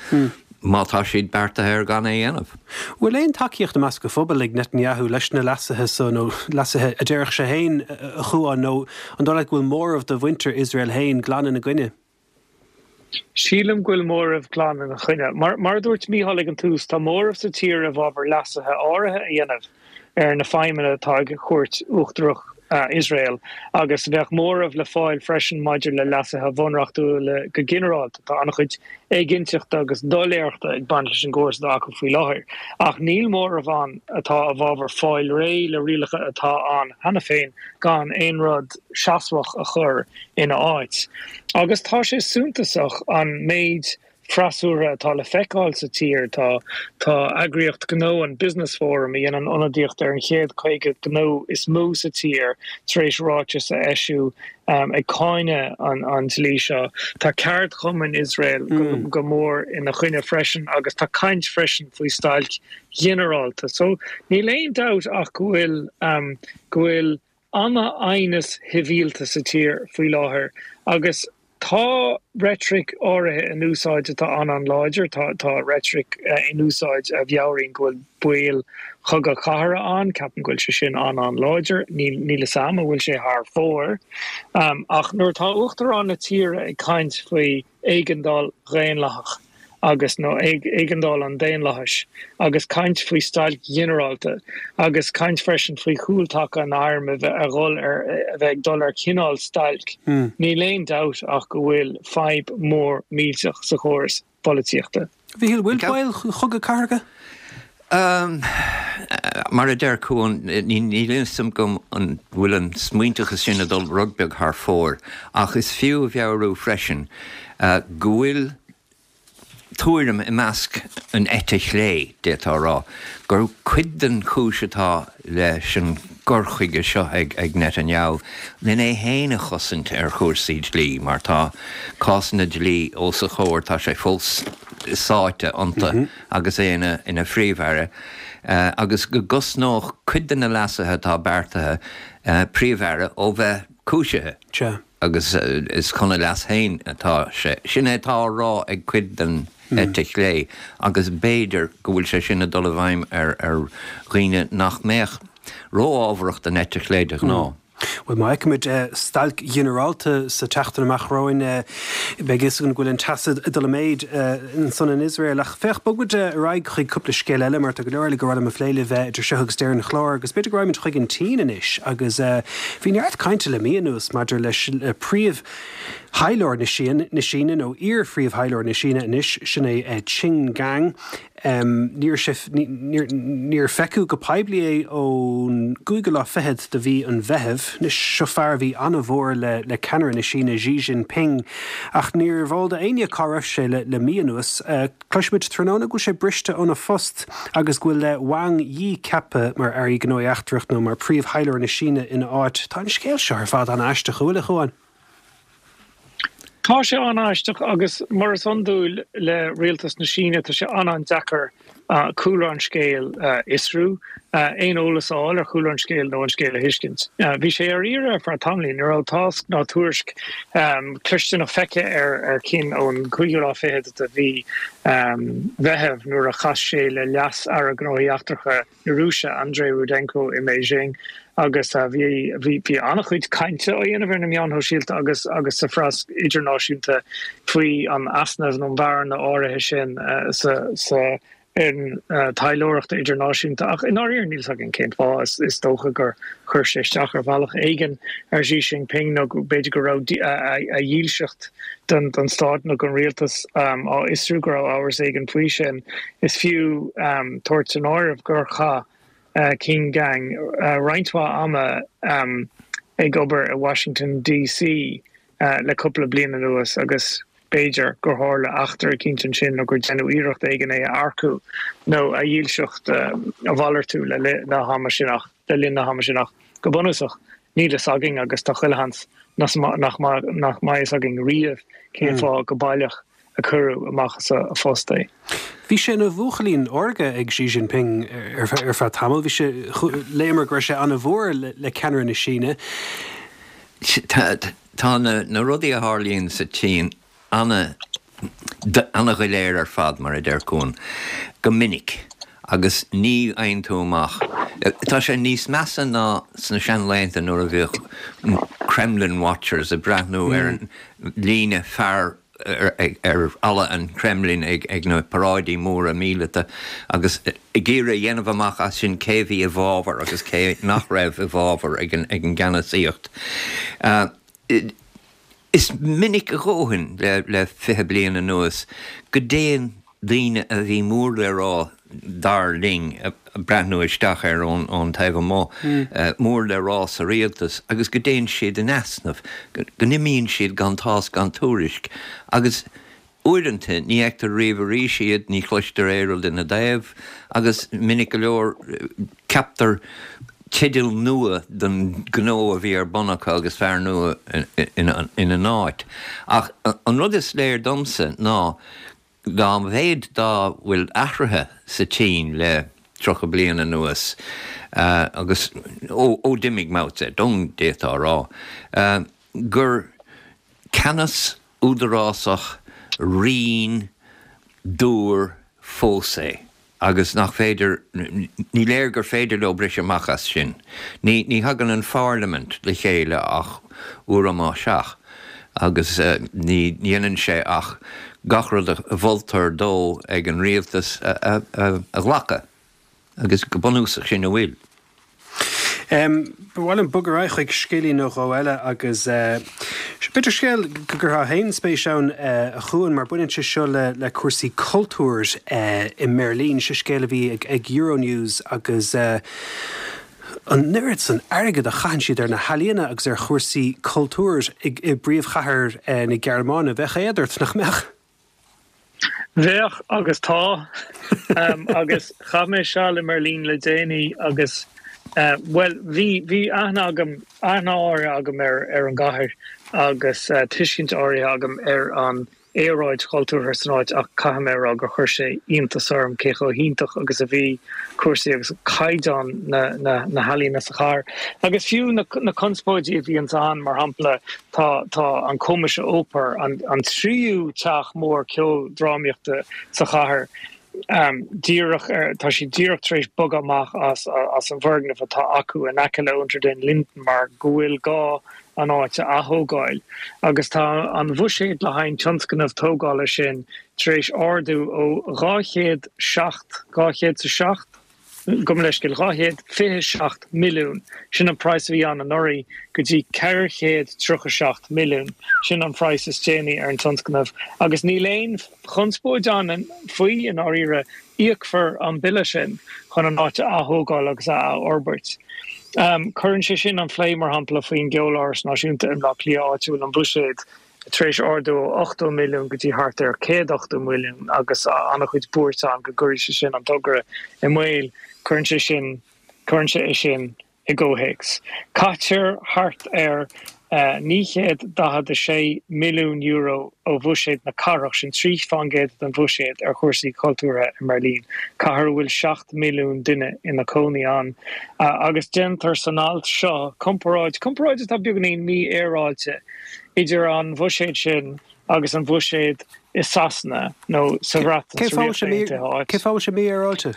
má tá siad beartaithe ar gan é a dhéanamh. Bhfuil aon tacaíocht i measc an phobail ag Netanyahu leis na leasuithe so, nó leasuithe a déarfadh sé féin, a Chuáin, nó an dóigh leat go bhfuil móramh de mhuintir Iosrael féin glan ina gcoinne? Sílim go bhfuil móramh glan ina choinne. Mar a dúirt Mícheál ag an tús, tá móramh sa tír i bhfabhar leasuithe áirithe a dhéanamh ar na feidhmeanna atá ag Cúirt Uachtarach Iosrael agus bheadh móramh le fáil freisin maidir le leasuithe bhunreachtúla go ginearálta. Tá an-chuid éiginnteachta agus doiléireachta ag baint leis an gcóras atá acu faoi láthair. Ach níl móramh ann atá i bhfabhar fáil réidh le rialacha atá ann cheana féin gan aon rud seasmhach a chur ina áit. Agus tá sé suntasach an méid freasúra atá le feiceáil sa tír. Tá tá eagraíocht gnó an Business Forum a dhéanann ionadaíocht ar an chéad caoga gnó is mó sa tír tar éis ráiteas a eisiú ag cáineadh an an dlí seo. Tá ceardchumainn Iosrael go mór ina choinne freisin agus tá caint freisin faoi stailc ghinearálta. So níl aon dabht ach go bhfuil go bhfuil an-aighneas sibhialta sa tír faoi láthair agus tá reitric áirithe in úsáid atá an-an-láidir, tá tá reitric in úsáid a mheabhraíonn go bhfuil baol chogadh cathartha ann, ceapaim go bhfuil sé sin an-an-láidir, níl níl fhios a'm an bhfuil sé thar fóir. Ach nuair atá Uachtarán na tíre ag caint faoi éigeandáil dhaonlathach, agus nó éigeandáil an daonlathais agus caint faoi stailc ghinearálta agus caint freisin faoi chúltaca an airm a bheith a dhul ar a bheith ag dul ar cineál stailc. Níl aon dabht ach go bhfuil fadhb mhór millteach sa chóras polaitíochta. Mhíchíl, bhfuil baol chogadh cathartha? Mar a deir Cuan, níl fhios agam an bhfuil an smaointeachas sin ag dul rud beag thar fóir, ach is fiú a mheabhrú freisin go bhfuil tuairim i measc an eite chlé, d'fhéadfá a rá, gur cuid den chúis atá leis an gcur chuige seo ag Netanyahu lena é féin a chosaint ar chúrsaí dlí, mar tá cásanna dlí os a chomhair, tá sé fós sáite iontu agus é ina Phríomh-Aire, agus go gcosnódh cuid de na leasuithe atá beartaithe Príomh-Aire ó bheith cúisithe. Agus is chun a leas féin atá sé. Sin é atá á rá ag cuid den eite chlé agus b'fhéidir go bhfuil sé sin ag dul i bhfeidhm ar dhaoine nach mbeadh ró-fhábharach don eite chlé de ghnáth. Bhuel, má fheicimid stailc ghinearálta sa tseachtain amach romhainn, beidh a fhios againn go bhfuil an teas ag dul i méid ansan in Iosrael. Ach féach, bogfaimid ar aghaidh chuig cúpla scéal eile mar tá go leor eile gur mhaith liom a phlé libh idir seo agus deireadh an chláir. Agus b'fhéidir go raghaimid chuig an tSín anois agus bhí neart cainte le mí anuas maidir leis príomh-thaidhleoir na Síne, nó iar-phríomh-thaidhleoir na Síne anois, sin é Qin Gang. Níor níor feiceadh go poiblí é ón gcúigiú lá fichead de mhí an Mheithimh. Anois, seo fear a bhí an-mhór le le ceannaire na Síne, Xi Jinping, ach níorbh eol d'éinne cá raibh sé le le mí anuas. Cloisimid tráthnóna go bhfuil sé briste óna phost agus go bhfuil Wang Yi ceaptha mar Aire Gnóthaí Eachtracha nó mar Phríomh-Thaidhleoir na Síne ina áit. Tá an scéal seo ar fad an-aisteach, an bhfuil, a Chuáin? Tá sé an-aisteach agus mar is iondúil le rialtas na Síne tá sé an-an-deacair cúlra an scéil a fhiosrú, aon eolas a fháil ar chúlra an scéil nó an scéal a thuiscint. Bhí sé ar iarraidh ar feadh tamaillín, ní raibh tásc ná tuairisc cloiste ná feicthe ar Qin ón cúigiú lá fichead de mhí Mheithimh nuair a chas sé le Leas-Aire Gnóthaí Eachtracha na Rúise, Andrei Rudenko i mBeijing agus bhí bhí an-chuid cainte á dhéanamh ar na meáin shóisialta agus agus sa phreas idirnáisiúnta faoi an easnamh nó an bhearna áirithe sin sa sa fhoireann taidhleoireachta idirnáisiúnta ach i ndáiríre níl 's againn cén fáth. Is dócha gur chuir sé isteach ar bhealach éigin ar Xi Jinping nó b'fhéidir go raibh a dhílseacht don stát nó don rialtas á fhiosrú, go raibh amhras éigin faoi sin. Is fiú tabhairt san áireamh gur chaith Qin Gang roinnt mhaith ama ag obair i Washington DC le cúpla bliain anuas agus b'fhéidir gur tharla eachtra eicínt ansin nó gur deineadh iarracht éigin é a earcú nó a dhílseacht a mhalartú le linn na hama sin ach le linn na hama sin ach go bunúsach níl fhios againn agus tá chuile sheans nach nach mbeidh fhios againn riamh cén fáth go baileach a cuireadh amach as a phost é. Bhí sé ina bhuachaillín órga ag Xi Jinping ar feadh tamaill. Bhí sé, léamar go raibh sé an-mhór le ceannaire na Síne. Tá na rudaí a tharlaíonn sa tSín ana-dhoiléir ar fad, mar a deir Cuan, go minic agus ní fhaigheann tú amach. Tá sé níos measa ná sna seanlaethanta nuair a bhíodh Kremlin Watchers ag breathnú ar an líne fear ar fhalla an Kremlin ag na paráidí móra míleata agus ag iarraidh a dhéanamh amach as sin cé a bhí i bhfabhar agus cé nach raibh i bhfabhar ag an gceannasaíocht. Is minic a dhóthain le fiche bliain anuas go dtéann daoine a bhí mór le rá, dar linn, ag breathnú isteach air ón taobh amuigh, mór le rá sa rialtas agus go dtéann siad in easnamh, go n-imíonn siad gan tásc gan tuairisc agus Uaireanta, ní fheictear riamh arís iad, ní chloistear aon rud ina dtaobh, agus minic go leor ceaptar teideal nua don ghnó a bhí ar bun acu agus fear nua ina n-áit. Ach an rud is léir domsa ná dá mhéad dá bhfuil athraithe sa tSín le tríocha bliain anuas, agus ó d'imigh Mao Zedong, d'fhéadfá a rá, gur ceannas údarásach righin dúr fós é agus nach féidir, ní léir gur féidir leo briseadh amach as sin. Ní, ní thagann an pharlaimint le chéile ach uair amháin seach agus ní dhéanann sé ach gach rud a mholtar dó ag an rialtas a, a, a ghlacadh agus go bunúsach sin a bhfuil. Ba mhaith liom bogadh ar aghaidh chuig scéilín nó dhó eile agus b'fhéidir scéal go gcuirfeá féin spéis ann a Chuain mar baineann sé seo le le cúrsaí cultúir i mBeirlín. Seo scéal a bhí ag ag Euronews agus an oiread san airgead a chaitheann siad ar na healaíona agus ar chúrsaí cultúir i bpríomhchathair na Gearmáine. Bheadh éad ort, nach mbeadh? Bheadh agus tá. Agus chaith mé seal i mBeirlín le déanaí agus bhuel bhí bhí aithne agam, aithne áirithe agam ar ar an gcathair agus tuiscint áirithe agam ar an aeráid chultúrtha san áit ach caithfidh mé a rá gur chuir sé iontas orm cé chomh hiontach agus a bhí cúrsaí agus caighdeán na na na healaíona sa chathair. Agus fiú na na conspóidí a bhíonns ann, mar shampla tá tá an Komische Oper, an an tríú teach mór ceoldrámaíochta sa chathair, díreach ar, tá siad díreach tar éis bogadh amach as as an bhfoirgneamh atá acu in aice le Unter den Linden mar go bhfuil gá an áit a athógáil agus tá an bhuiséad le haghaidh an tionscnamh tógála sin tar éis ardú ó dhá chéad seacht, dhá chéad 's a seacht? gabh mo leithscéal, dhá chéad fiche seacht milliún, sin an praghas a bhí ann anuraidh, go dtí ceithre chéad tríocha seacht milliún, sin an praghas is déanaí ar an tionscnamh agus níl aon chonspóid ann faoi i ndáiríre, íocfar an bille sin chun an áit a athógáil agus a athfhorbairt. Cuireann sé sin an phlé, mar shampla, faoin gCeoláras Náisiúnta i mBleá Cliath, áit a bhfuil an buiséad tar éis ardú ó ochtó milliún go dtí thart ar céad ochtó milliún agus an-chuid buairt ann go gcuirfidh sé sin an togra i mbaol. Cuireann sé sin, cuireann sé é sin i gcomhthéacs. Caitear thart ar naoi chéad daichead a sé milliún euro ó bhuiséad na cathrach, sin trí fán gcéad den bhuiséad, ar chúrsaí cultúrtha i mBeirlín, cathair a bhfuil seacht milliún duine ina cónaí ann. Agus déantar san alt seo comparáid, comparáid atá beagáinín mífhéaráilte, idir an bhuiséad sin agus an bhuiséad i Sasana nó sa Bhreatain, sa Ríocht Aontaithe, áit. Cén fáth a bhfuil sé mífhéaráilte?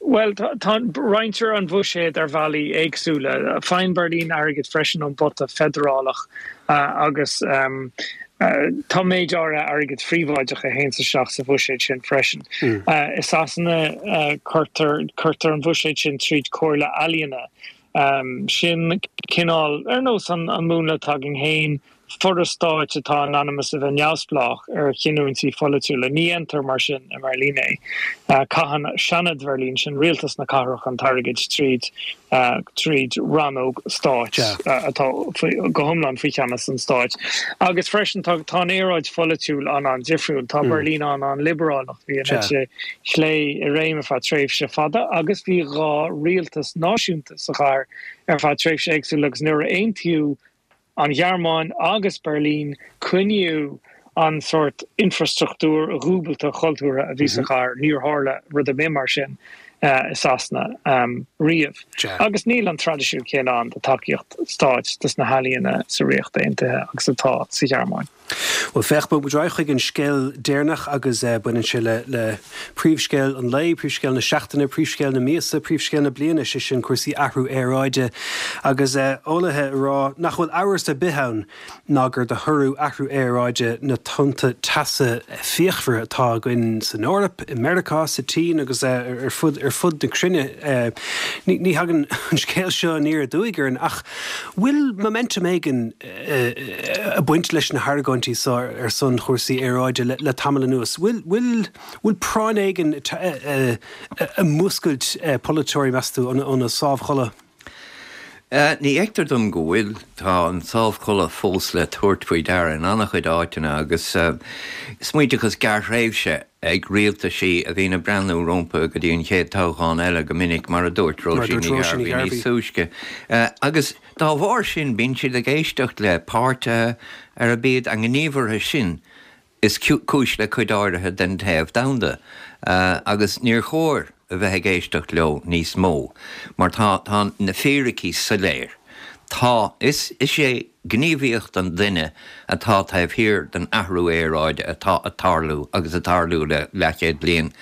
Bhuel, tá, roinntear an bhuiséad ar bhealaí éagsúla. Faigheann Beirlín airgead freisin ón bpota feidearálach agus tá méid áirithe airgid phríobháideach a théanns isteach sa bhuiséad sin freisin. I Sasana cuirtear, cuirtear an bhuiséad sin tríd Comhairle Ealaíona. Sin cineál, ar nós an múnla atá againn féin, foras stáit atá in ainm is a bheith neamhspleách ar chinniúintí pholaitiúla. Ní dhéantar mar sin i mBeirlín é. Caitheann Seanad Bheirlín, sin rialtas na cathrach, an t-airgead tríd tríd rannóg stáit atá go hiomlán faoi cheannas an stáit. Agus freisin tá tá an aeráid pholaitiúil an-an-difriúil. Tá Beirlín an-an-liobrálach. Bhí an eite chlé i réim ar feadh tréimhse fada agus bhí dhá rialtas náisiúnta sa chathair ar feadh tréimhse éagsúla agus nuair a aontaíodh an Ghearmáin agus Beirlín, coinníodh an sórt infrastruchtúr dhúbailte chultúrtha a bhí sa chathair. Níor tharla rud ar bith mar sin i Sasana riamh. Agus níl an traidisiún céanna ann de tacaíocht stáit dos na healaíona sa Ríocht Aontaithe agus atá sa Ghearmáin. Bhuel, féach, bogfaidh muid ar aghaidh chuig an scéal deireanach agus baineann sé le le príomhscéal an lae, príomhscéal na seachtaine, príomhscéal na míosa, príomhscéal na bliana, sé sin cúrsaí athrú aeráide agus eolaithe ag rá nach bhfuil amhras ar bith ann ná gur de thoradh athrú aeráide na tonnta teasa fíochmhara atá againn san Eoraip, i Meiriceá, sa tSín agus ar fud ar fud na cruinne. Ní ní thagann an scéal seo aniar aduaidh orainn ach bhfuil momentum éigin ag baint leis na hargóintí seo ar son chúrsaí aeráide le tamall anuas. Bhfuil, bhfuil, bhfuil práinn éigin ag múscailt polaiteoirí, meas tú, óna sámhchodladh? Ní fheictear dom go bhfuil. Tá an sámhchodladh fós le tabhairt faoi deara in an-chuid áiteanna agus smaointeachas gearrthréimhse ag rialtaisí a bhíonn ag breathnú rompu go dtí an chéad toghchán eile go minic, mar a dúirt Róisín Ní Ghairbhí níos túisce. Agus dá bharr sin bíonn siad ag éisteacht le páirtithe arb iad a ngníomhartha sin is cúis le cuid áirithe den téamh domhanda agus níor chóir a bheith ag éisteacht leo níos mó mar tá tá na fíricí soiléir. Tá, is is é gníomhaíocht an duine atá taobh thiar den athrú aeráide atá ag tarlú agus ag tarlú le leathchéad bliain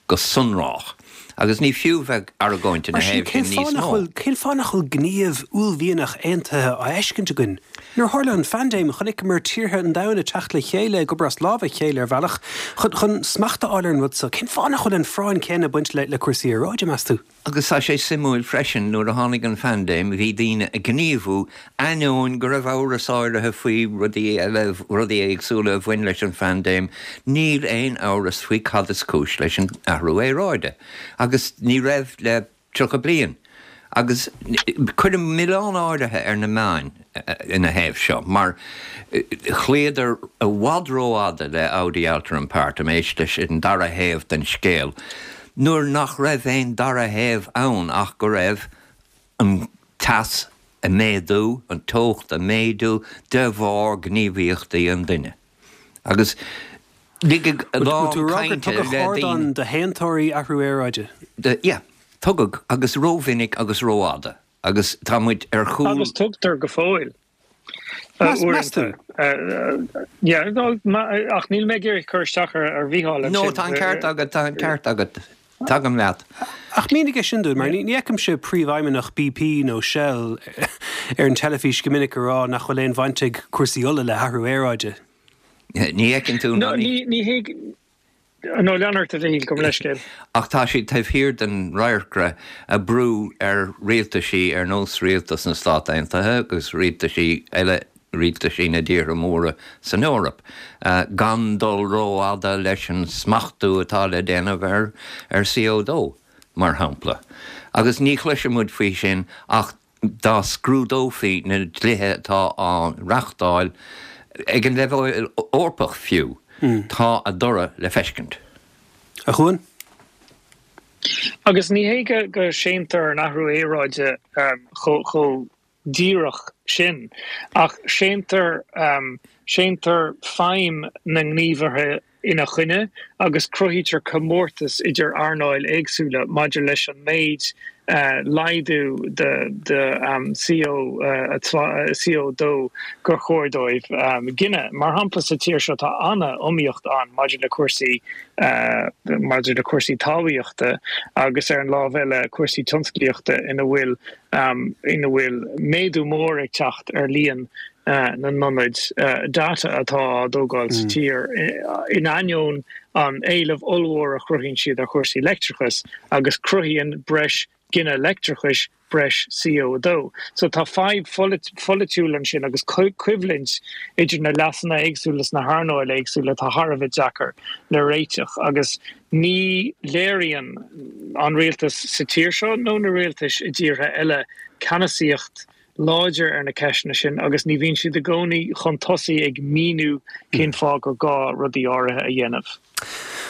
go sonrach. Agus ní fiú bheith ag argóint ina thaobh sin níos mó. Cén fáth nach bhfuil gníomh uaillmhianach aontaithe á fheiscint againn? Nuair a tharla an phaindéim, chonaiceamar tíortha an domhain ag teacht le chéile, ag obair as lámh a chéile ar bhealach chun chun smacht a fháil ar an rud seo. Cén fáth nach bhfuil an phráinn chéanna ag baint le le cúrsaí aeráide, meas tú? Agus tá sé suimiúil freisin, nuair a tháinig an phaindéim, bhí daoine ag gníomhú, ainneoin go raibh amhras áirithe faoi rudaí eile, rudaí éagsúla a bhain leis an phaindéim, níl aon amhras faoi cad is cúis leis an athrú aeráide. Agus ní raibh le tríocha bliain. Agus cuirim milleán áirithe ar na meáin ina thaobh seo, mar chloíodar i bhfad rófhada le audi alteram partem, éist leis an dara thaobh den scéal, nuair nach raibh aon dara thaobh ann ach go raibh an teas ag méadú, an teocht ag méadú de bharr gníomhaíochtaí an duine. Agus ligeadh a lán cainte le daoine. Tugadh ardán do shéantóirí athrú aeráide. Yeah, tugadh, agus rómhinic agus rófhada. Agus tá muid ar chúl. Agus tugtar go fóill. Meas tú? Yeah, ach níl mé ag iarraidh cur isteach ar Mhícheál ansin. No, tá an ceart agat, tá an ceart agat. Tagaim leat. Ach mínigh é sin dúinn, mar ní fheicimse príomhfheidhmeannach BP nó Shell ar an teilifís go minic ag rá nach bhfuil aon bhaint ag cúrsaí ola le hathrú aeráide. Ní fheiceann tú ná ní. Ní hé No, lean ort a Mhichíl, gabh mo leithscéal. Ach tá siad taobh thiar den radharcra ag brú ar rialtaisí ar nós rialtas na Stát Aontaithe agus rialtaisí eile, rialtaisí na dtíortha móra san Eoraip, gan dul rófhada leis an smachtú atá le déanamh ar ar C O dó, mar shampla. Agus ní chloisfidh muid faoi sin ach dá scrúdófaí na dlíthe atá á reachtáil ag an leibhéal Eorpach fiú. Tá a dtoradh le feiscint. A Chuain? Agus ní hé go séantar an athrú aeráide chomh díreach sin, ach séantar séantar feidhm na ngníomhartha ina choinne agus cruthaítear comórtas idir earnáil éagsúla maidir leis an méid laghdú de C O dó gur chóir dóibh gineadh. Mar shampla, sa tír seo tá an-iomaíocht ann maidir le cúrsaí maidir le cúrsaí talmhaíochta agus ar an lámh eile cúrsaí tionsclaíochta ina bhfuil ina bhfuil méadú mór ag teacht ar líon na n-ionad data atá á dtógáil sa tír, in ainneoin an éileamh ollmhór a chruthaíonn siad ar chúrsaí leictreachais agus cruthaíonn breis gineadh leictreachais breis C O dó. So tá fadhb pholaitiúil ansin agus coimhlint idir na leasanna éagsúla sna hearnáil éagsúla atá thar a bheith deacair le réiteach agus ní léiríonn an rialtas sa tír seo nó na rialtais i dtíortha eile ceannasaíocht láidir ar na ceisteanna sin agus ní bhíonn siad i gcónaí chun tosaigh ag míniú cén fáth gur gá rudaí áirithe a dhéanamh.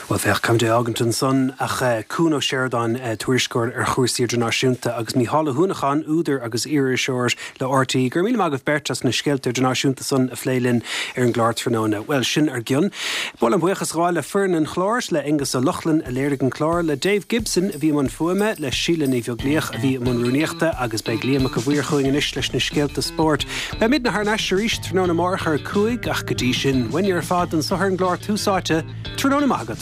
Bhuel, féach, caithfimid é a fhágaint ansan ach Cuan Ó Seireadáin, tuairisceoir ar chúrsaí idirnáisiúnta, agus Mícheál Ó hUanacháin, údar agus iaririseoir le R T É. Go raibh míle maith agaibh beirt as na scéalta idirnáisiúnta san a phlé linn ar an gclár tráthnóna. Bhuel, sin ár gcionn. Ba mhaith liom buíochas a ghabháil le foireann an chláir, le Aengus Ó Lochlainn a léirigh an clár, le Dave Gibson a bhí i mbun fuaime, le Síle Ní Bheaglaoich a bhí i mbun rúnaíochta agus beidh Liam Mac a' Mhaoir chugainn anois leis na scéalta spóirt. Beimidne thar n-ais arís tráthnóna amárach ar a cúig ach go dtí sin, uainne ar fad anso ar an gclár Tús Áite, tráthnóna maith agat.